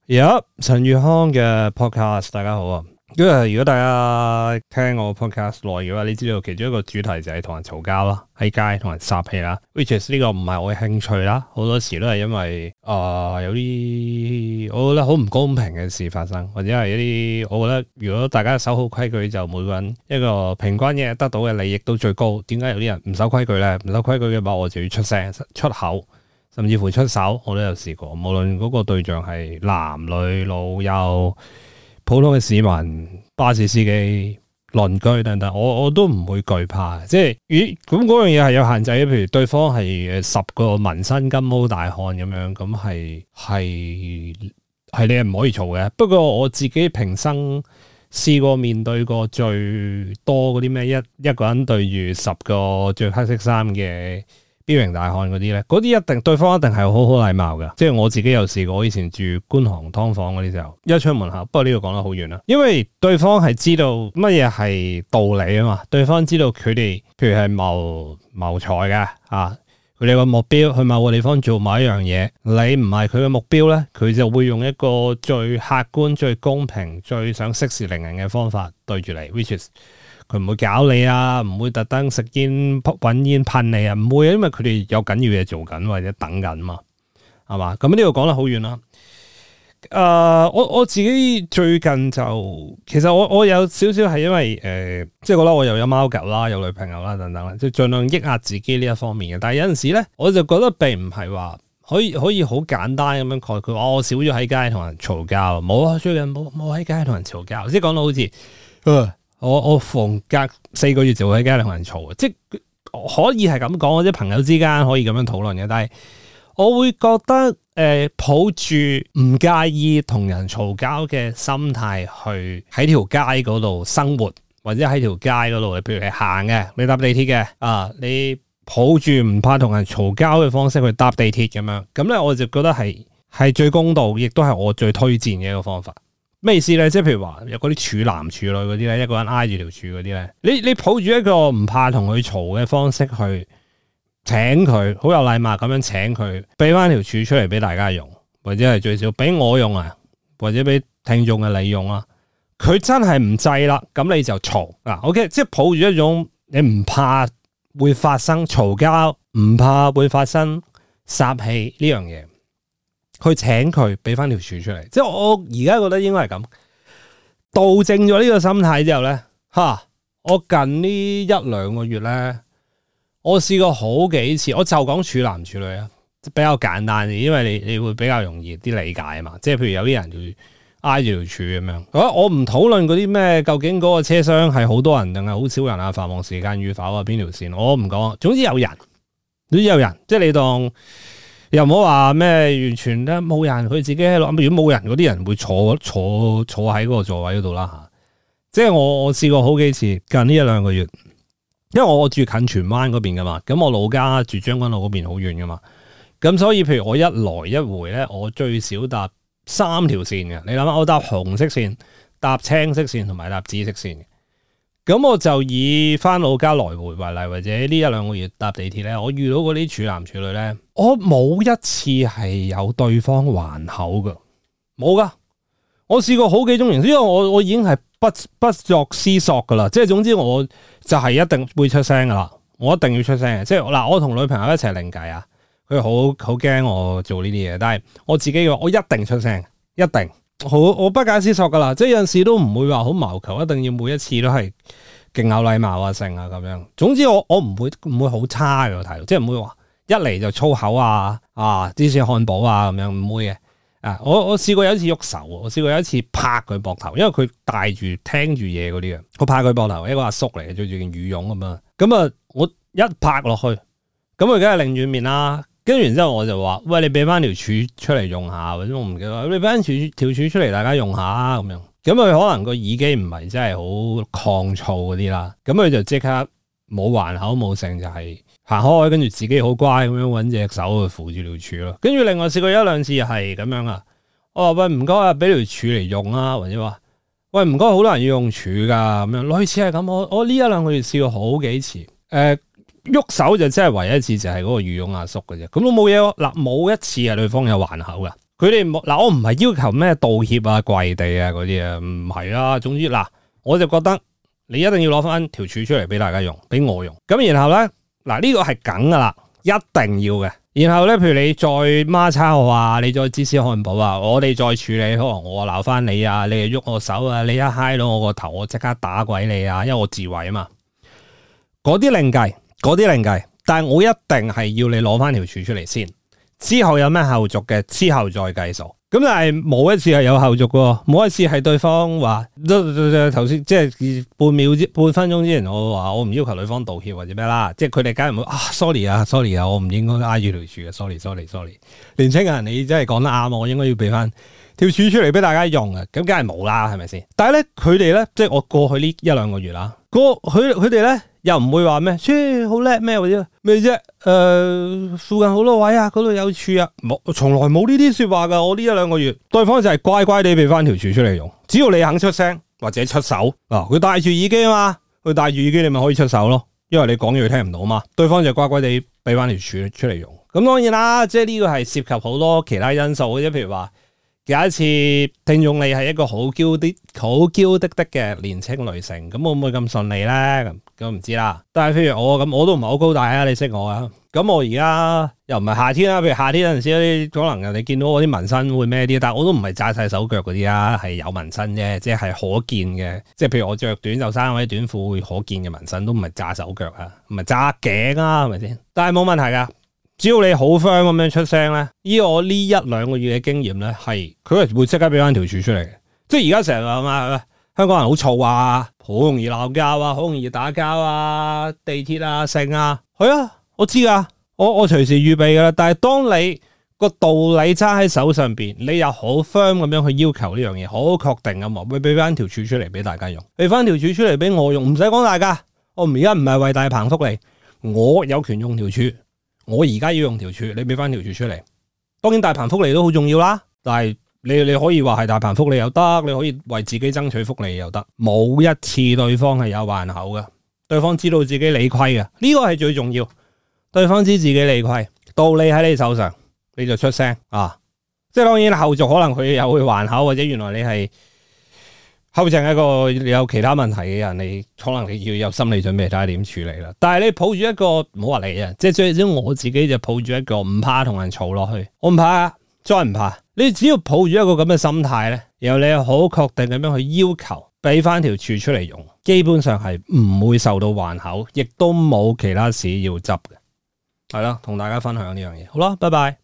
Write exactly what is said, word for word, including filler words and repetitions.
而家陳宇康嘅 podcast，大家好啊！因為如果大家聽我 podcast 耐嘅話，你知道其中一個主題就係同人嘈交啦，喺街同人撒氣啦。which is 呢個唔係我嘅興趣啦，好多時都係因為啊、呃、有啲我覺得好唔公平嘅事發生，或者係一啲我覺得如果大家守好規矩，就每個人一個平均嘅得到嘅利益都最高。點解有啲人唔守規矩咧？唔守規矩嘅話，我就要出聲出口。甚至乎出手，我都有試過。無論嗰個對象係男女老幼、普通嘅市民、巴士司機、鄰居等等，我我都唔會懼怕。即係咦咁嗰樣嘢係有限制嘅。譬如對方係十個紋身金毛大漢咁樣，咁係係係你係唔可以嘈嘅。不過我自己平生試過面對過最多嗰啲咩一一個人對住十個着黑色衫嘅彪形大漢嗰啲咧，嗰啲一定對方一定係好好禮貌嘅。即係我自己有試過，我以前住觀塘劏房嗰啲時候，一出門口，不過呢個講得好遠啦，因為對方係知道乜嘢係道理啊嘛，對方知道佢哋譬如係謀謀財嘅啊，佢哋個目標去某個地方做某一樣嘢，你唔係佢嘅目標咧，佢就會用一個最客觀、最公平、最想息事寧人嘅方法對住你 ，which is佢唔會搞你啊，唔會特登食煙搵煙噴你啊，唔會，因為佢哋有緊要嘢做緊或者等緊嘛，係嘛？咁呢度講得好遠啦。誒、呃，我我自己最近就其實我我有少少係因為誒、呃，即係覺得我又有貓狗啦，有女朋友啦等等啦，即係盡量抑壓自己呢一方面嘅。但係有陣時咧，我就覺得並唔係話可以可以好簡單咁樣概括，哦，我少咗喺街同人嘈交，冇啊，最近冇冇喺街同人嘈交，即係講到好似誒。呃我我逢隔四個月就會喺街同人嘈，即係可以係咁講，或者朋友之間可以咁樣討論嘅。但係我會覺得誒、呃，抱住唔介意同人嘈交嘅心態去喺條街嗰度生活，或者喺條街嗰度，譬如係行嘅，你搭地鐵嘅啊，你抱住唔怕同人嘈交嘅方式去搭地鐵咁樣，咁咧我就覺得係係最公道，亦都係我最推薦嘅一個方法。咩意思咧？即係譬如話有嗰啲處男處女嗰啲咧，一個人挨住條柱嗰啲咧，你你抱住一個唔怕同佢嘈嘅方式去請佢，好有禮貌咁樣請佢，俾翻條柱出嚟俾大家用，或者係最少俾我用啊，或者俾聽眾嘅你用啊。佢真係唔制啦，咁你就嘈嗱。OK，即係抱住一種你唔怕會發生嘈交，唔怕會發生殺氣呢樣嘢。去請佢俾翻條柱出嚟，即係我而家覺得應該係咁，導正咗呢個心態之後咧，吓我近呢一兩個月咧，我試過好幾次，我就講處男處女啊，比較簡單啲，因為你你會比較容易啲理解啊嘛。即係譬如有啲人會挨住條柱咁樣，我唔討論嗰啲咩，究竟嗰個車廂係好多人定係好少人啊，繁忙時間與否啊，邊條線我唔講，總之有人，總之有人，即係你當。又唔好話咩完全咧冇人，佢自己喺度。如果冇人嗰啲人會坐坐坐喺嗰個座位嗰度啦吓。即係我我試過好幾次，近呢一兩個月，因為我住近荃灣嗰邊噶嘛，咁我老家住將軍澳嗰邊好遠噶嘛，咁所以譬如我一來一回咧，我最少搭三條線嘅。你諗下，我搭紅色線、搭青色線同埋搭紫色線嘅。咁我就以翻老家來回為例，或者呢一兩個月搭地鐵咧，我遇到嗰啲處男處女咧，我冇一次係有對方還口噶，冇噶。我試過好幾種形式，因為我我已經係不不作思索噶啦，即係總之我就係一定會出聲噶啦，我一定要出聲嘅。即係嗱，我同女朋友一齊另計啊，佢好好驚我做呢啲嘢，但係我自己嘅話，我一定出聲，一定。好，我不假思索噶啦，即係有陣時都唔會話好謀求，一定要每一次都係勁有禮貌啊，成啊咁樣。總之我我唔會唔會好差嘅態度，即係唔會話一嚟就粗口啊啊芝士漢堡啊咁樣，唔會嘅。啊，我我試過有一次喐手，我試過有一次拍佢膊頭，因為佢戴住聽住嘢嗰啲嘅，我拍佢膊頭，一個阿叔嚟嘅，着住件羽絨咁樣，咁啊我一拍落去，咁佢梗係擰轉面啦。跟住然之後我就話，喂，你俾翻條柱出嚟用下，或者我唔記得，你俾翻條條柱出嚟，大家用下咁樣。咁佢可能個耳機唔係真係好抗噪嗰啲啦，咁佢就即刻冇還口冇聲，就係行開，跟住自己好乖咁樣揾隻手去扶住條柱咯。跟住另外試過一兩次係咁樣啊，我話喂唔該啊，俾條柱嚟用啊，或者話喂唔該，好多人要用柱噶咁樣，類似係咁。我我呢一兩個月試過好幾次，誒、呃。喐手就真係唯一一次就係嗰個羽絨阿叔嘅啫，咁都冇嘢嗱，冇一次係對方有還口嘅，佢哋冇嗱，我唔係要求咩道歉啊、跪地啊嗰啲啊，唔係啊。總之嗱，我就覺得你一定要攞翻條柱出嚟俾大家用，俾我用。咁然後咧，嗱呢個係梗噶啦，一定要嘅。然後咧，譬如你再孖叉我啊，你再芝士漢堡啊，我哋再處理，可能我鬧翻你啊，你又喐我手啊，你一揩到我個頭，我即刻打鬼你啊，因為我自衛啊嘛。嗰啲另計，嗰啲另計，但係我一定係要你攞翻條柱出嚟先，之後有咩後續嘅，之後再計數。咁但係冇一次係有後續嘅，冇一次係對方話，頭先即係半秒之半分鐘之前，我話我唔要求女方道歉或者咩啦，即係佢哋梗係唔會啊 sorry 啊 sorry 啊，我唔應該挨住條柱嘅 sorry sorry sorry。年青人你真係講得啱，我應該要俾翻條柱出嚟俾大家用嘅，咁梗係冇啦，係咪先？但係咧佢哋咧，即係我過去呢一兩個月啦，個佢佢哋咧又唔會話咩，切好叻咩或者咩啫？誒、呃，附近好多位啊，嗰度有柱啊，冇，從來冇呢啲說話噶。我呢一兩個月，對方就係乖乖地俾翻條柱出嚟用，只要你肯出聲或者出手啊，佢戴住耳機啊嘛，佢戴住耳機你咪可以出手咯，因為你講嘢佢聽唔到嘛，對方就乖乖地俾翻條柱出嚟用。咁當然啦，即係呢個係涉及好多其他因素嘅，譬如話。有一次聽眾你係一個好嬌啲、好嬌滴滴嘅年青女性，咁會唔會咁順利咧？咁咁唔知啦。但係譬如我咁，我都唔係好高大啊，你識我啊。咁我而家又唔係夏天啦，譬如夏天有陣時可能人哋見到我啲紋身會咩啲，但係我都唔係紮晒手腳嗰啲啊，係有紋身啫，即係可見嘅。即係譬如我着短袖衫或者短褲會可見嘅紋身，都唔係紮手腳啊，唔係紮頸啊，係咪先？但係冇問題噶。只要你好 firm 咁樣出聲咧，依我呢一兩個月嘅經驗咧，係佢係會即刻俾翻條柱出嚟嘅。即係而家成日話嘛，香港人好嘈啊，好容易鬧交啊，好容易打交啊，地鐵啊、剩啊，係啊，我知噶，我我隨時預備噶啦。但係當你個道理揸喺手上邊，你又好 firm 咁樣去要求呢樣嘢，好確定咁話，會俾翻條柱出嚟俾大家用，俾翻條柱出嚟俾我用，唔使講大家。我而家唔係為大鵬福利，我有權用條柱。我而家要用條柱，你俾翻條柱出嚟。當然大鵬福利都好重要啦，但係你你可以話係大鵬福利又得，你可以為自己爭取福利又得。冇一次對方係有還口嘅，對方知道自己理虧嘅，呢個係最重要。對方知自己理虧，道理喺你手上，你就出聲啊！即係當然後續可能佢又會還口，或者原來你係後剩一個有其他問題嘅人，你可能你要有心理準備睇下點處理啦。但係你抱住一個唔好話你啊，即係最少我自己就抱住一個唔怕同人嘈落去，我唔怕，再唔怕。你只要抱住一個咁嘅心態咧，然後你好確定咁樣去要求俾翻條柱出嚟用，基本上係唔會受到還口，亦都冇其他事要執嘅。係啦，同大家分享呢樣嘢。好啦，拜拜。